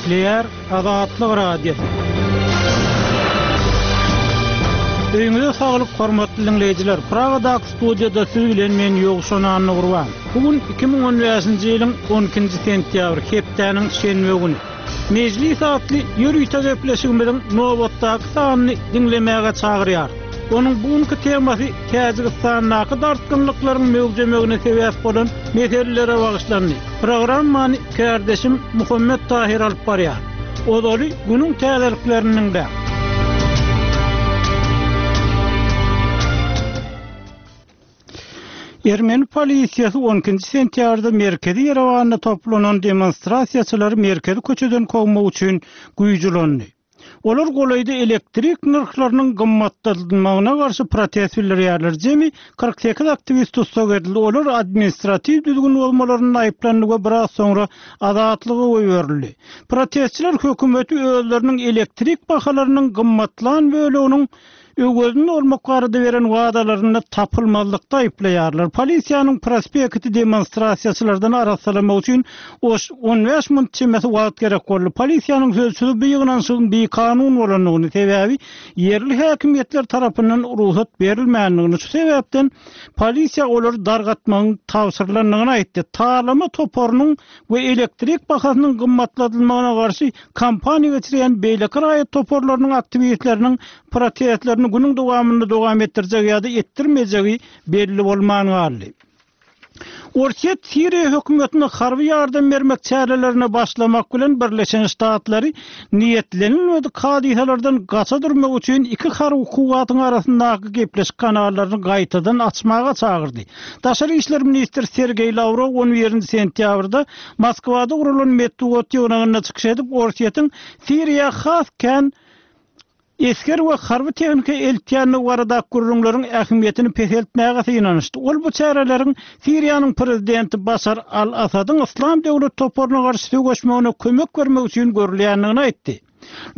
Gepleýär Azatlyk Radiosy. Öýüňize saglyk hormatly diňleýjiler. Pragadaky studiýada siz bilen men Ýowşan Annagurban. Bu gün 2015-nji ýylyň 12-nji sentýabry, hepdäniň şenbe güni. Mejlis atly ýörite gepleşigimiziň nobatdaky sanyny diňlemäge çagyrýarys. Onuň bu günki temasy Täjigistandaky dartgynlyklaryň möwjemegine sebäp bolan meselelere bagyşlandy. Programmany kärdeşim Muhammet Tahyr alyp barýar. Ozaly günüň täzeliklerini diňläň. Ermeni polisiýasy on ikinji sentýabrda merkezi Ýerewanda toplanan demonstrasiýaçylary merkezi köçeden kowmak üçin güýç ulandy. Olar golaýda elektrik nyrhlarynyň gymmatladylmagyna garşy protest bildirýärler. Jemi 48 aktiwist tussag edildi, olar administratiw düzgün bozmalarynda aýyplandy we biraz soňra azatlyga goýberildi. Protestçiler hökümeti özleriniň elektrik bahalarynyň gymmatlan böleginiň öwezini dolmak barada beren wadalarynda tapylmazlykda aýyplaýarlar. Polisiýanyň prospekti demonstrasiýaçylardan arassalamak üçin oş 15 munt çemesi wagt gerek boldy. Polisiýanyň sözçüsi bu ýygnanyşygyň bikanun bolandygyny, sebäbi ýerli häkimiýetler tarapyndan rugsat berilmändigini, şu sebäpden polisiýa olary dargatmagyň tabşyrylandygyny aýtdy. Talama toparynyň we elektrik bahasynyň gymmatladylmagyna garşy kampaniýa geçirýän beýleki raýat toparlarynyň aktiwistleriniň protestlerini günüň dowamynda dowam etdirjegi ýa-da etdirmejegi belli bolman galdy. Orsýet Siriýa hökümetine harby ýardam bermek çärelerine başlamak bilen Birleşen Ştatlary niýetlenilmedik hadysalardan gaça durmak üçin iki harby kuwwatyň arasyndaky gepleşik kanallaryny gaýtadan açmaga çagyrdy. Daşary işler ministri Sergeý Lawrow on birinji sentýabrda Moskwada guralan metbugat ýygnagynda çykyş edip, Orsýetiň Siriýa has kän esger we harby tehnika eltýändigi baradaky gürrüňleriň ähmiýetini peseltmäge synanyşdy. Ol bu çäreleriň Siriýanyň prezidenti Başar al-Assadyň Yslam döwlet toparyna garşy söweşmegine kömek bermek üçin görülýändigini aýtdy.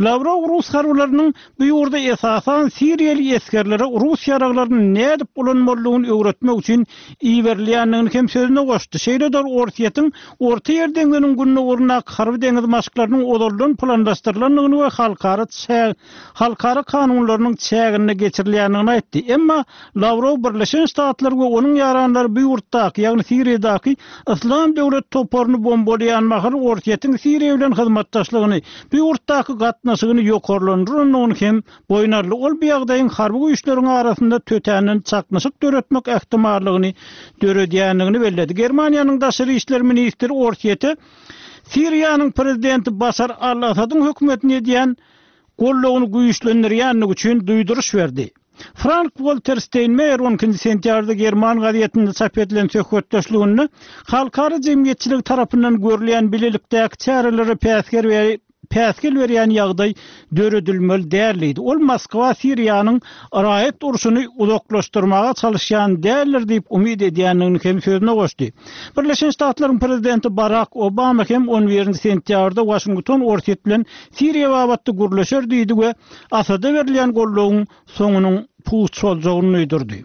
Lawrow rus harbylarynyň bu ýurda esasan siriýaly esgerlere rus ýaraglaryny nädip ulanmalydygyny öwretmek üçin iberilýändigini hem sözüne goşdy. Şeýle-de ol Orsýetiň Orta Ýer deňziniň gündogaryndaky harby-deňiz maşklarynyň ozaldan planlaşdyrylandygyny we halkara halkara kanunlarynyň çäginde geçirilýändigini aýtdy. Emma Lawrow Birleşen Ştatlar we onuň ýaranlary bu ýurtdaky, ýagny Siriýadaky Yslam döwlet toparyny bombalaýan mahaly Orsýetiň Siriýa bilen hyzmatdaşlygyny, bu ýurtdaky gatnaşygyny ýokarlandyrandygyny hem boýun aldy. Ol bu ýagdaýyň harby güýçleriň arasynda tötänden çaknyşyk döretmek ähtimallygyny döredýändigini belledi. Germaniýanyň daşary işler ministri Orsýete Siriýanyň prezidenti Başar al-Assadyň hökümetine edýän goldawyny güýçlendirýändigi üçin duýduryş berdi. Frank-Walter Steýnmeýer on ikinji sentýabrda german gazetinde çap edilen söhbetdeşliginde halkara jemgyýetçiligi tarapyndan görülýän bilelikdäki çärelere päsgel päsgel berýän ýagdaý döredilmeli däl diýdi. Ol Moskwa Siriýanyň raýat urşuny uzaklaşdyrmaga çalyşýan däldir diýip umyt edýändigini hem sözüne goşdy. Birleşen Ştatlaryň prezidenti Barak Obama hem on birinji sentýabrda Waşington Orsýet bilen Siriýa babatda gürleşer diýdi we Asada berilýän goldawyň soňunyň puç boljagyny duýdurdy.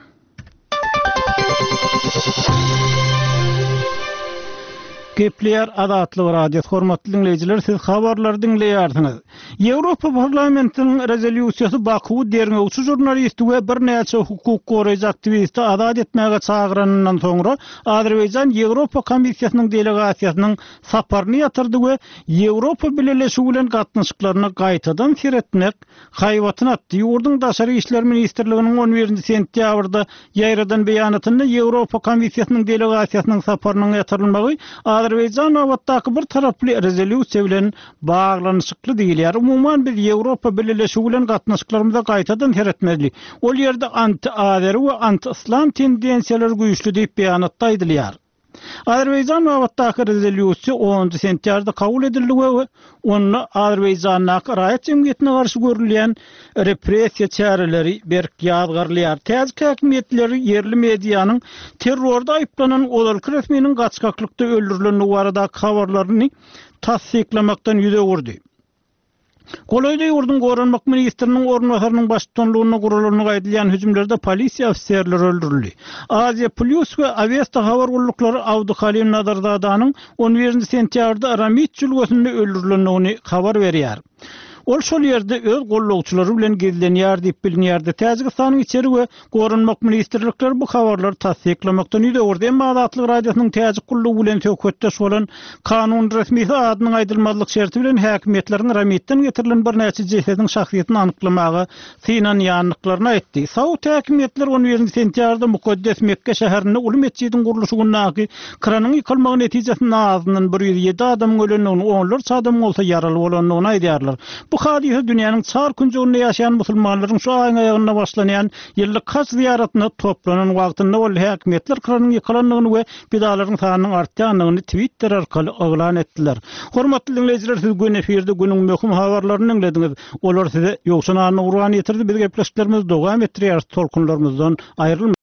Gepleýär Azatlyk Radiosy, hormatly diňleýjiler, siz habarlary diňleýärsiňiz. Ýewropa Parlamentiniň rezolýusiýasy Bakuwy derňewçi žurnalisti we birnäçe hukuk goraýjy aktiwisti azat etmäge çagyranyndan soňra, Azerbaýjan Ýewropa Komissiýasynyň delegasiýasynyň saparyny ýatyrdy we Ýewropa Bileleşigi bilen gatnaşyklaryna gaýtadan seretmek haýbatyny atdy. Ýurduň Daşary işler ministrliginiň on birinji sentýabrda ýaýradan beýanatynda Ýewropa Komissiýasynyň delegasiýasynyň saparynyň ýatyrylmagy Azerbaýjan babatdaky bir taraply rezolýusiýa bilen baglanyşykly diýilýär. Umuman, biz Ýewropa Bileleşigi bilen gatnaşyklarymyza gaýtadan seretmeli. Ol ýerde anti-azeri we anti-yslam tendensiýalary güýçli diýip, beýanatda aýdylýar. Azerbaýjan babatdaky rezolýusiýa onunjy sentýabrda kabul edildi we onda Azerbaýjandaky raýat jemgyýetine garşy görülýän repressiýa çäreleri berk ýazgarylýar. Täjik häkimiýetleri ýerli medianyň terrorda aýyplanan ozalky resminiň gaçgaklykda öldürilendigi baradaky habarlaryny tassyklamakdan ýüz öwürdi. Golaýda ýurduň goranmak ministriniň orunbasarynyň baştutanlygynda guralandygy aýdylýan hüjümlerde polisiýa ofiserleri öldürildi. Aziýa Plýus we Awesta habar gulluklary Abduhalim Nazarzadanyň on birinji sentýabrda Ramit jülgesinde öldürilendigini habar berýär. Ol şol ýerde öz gollagçylary bilen gizlenýär diýip bilinýärdi. Täjigistanyň içeri we Goranmak ministrlikleri bu habarlary tassyklamakdan ýüz öwürdi. Emma Azatlyk Radiosynyň Täjik gullugy bilen söhbetdeş bolan kanun resmisi adynyň aýdylmazlyk şerti bilen häkimiýetleriň Ramitden getirilen birnäçe jesediň şahsyýetini anyklamaga synanýandyklaryny aýtdy. Saud häkimiýetleri on birinji sentýabrda mukaddes Mekge şäherinde uly metjidiň gurluşygyndaky kranyň ýykylmagy netijesinde azyndan 107 adamyň ölendigini, onlarça adamyň bolsa ýaraly bolandygyny aýdýarlar. Bu hadysa dünýäniň çar künjeginde ýaşaýan musulmanlaryň şu aýyň aýagynda başlanýan ýyllyk haj zyýaratyna toplanan wagtynda boldy. Häkimiýetler kranyň ýykylandygyny we pidalaryň sanynyň artýandygyny Twitter arkaly yglan etdiler. Hormatly diňleýjiler, siz göni efirde günüň möhüm habarlaryny diňlediňiz. Olar size Ýowşan Annagurban ýetirdi. Biz gepleşiklerimizi dowam etdirýäris, tolkunlarymyzdan aýrylmaň.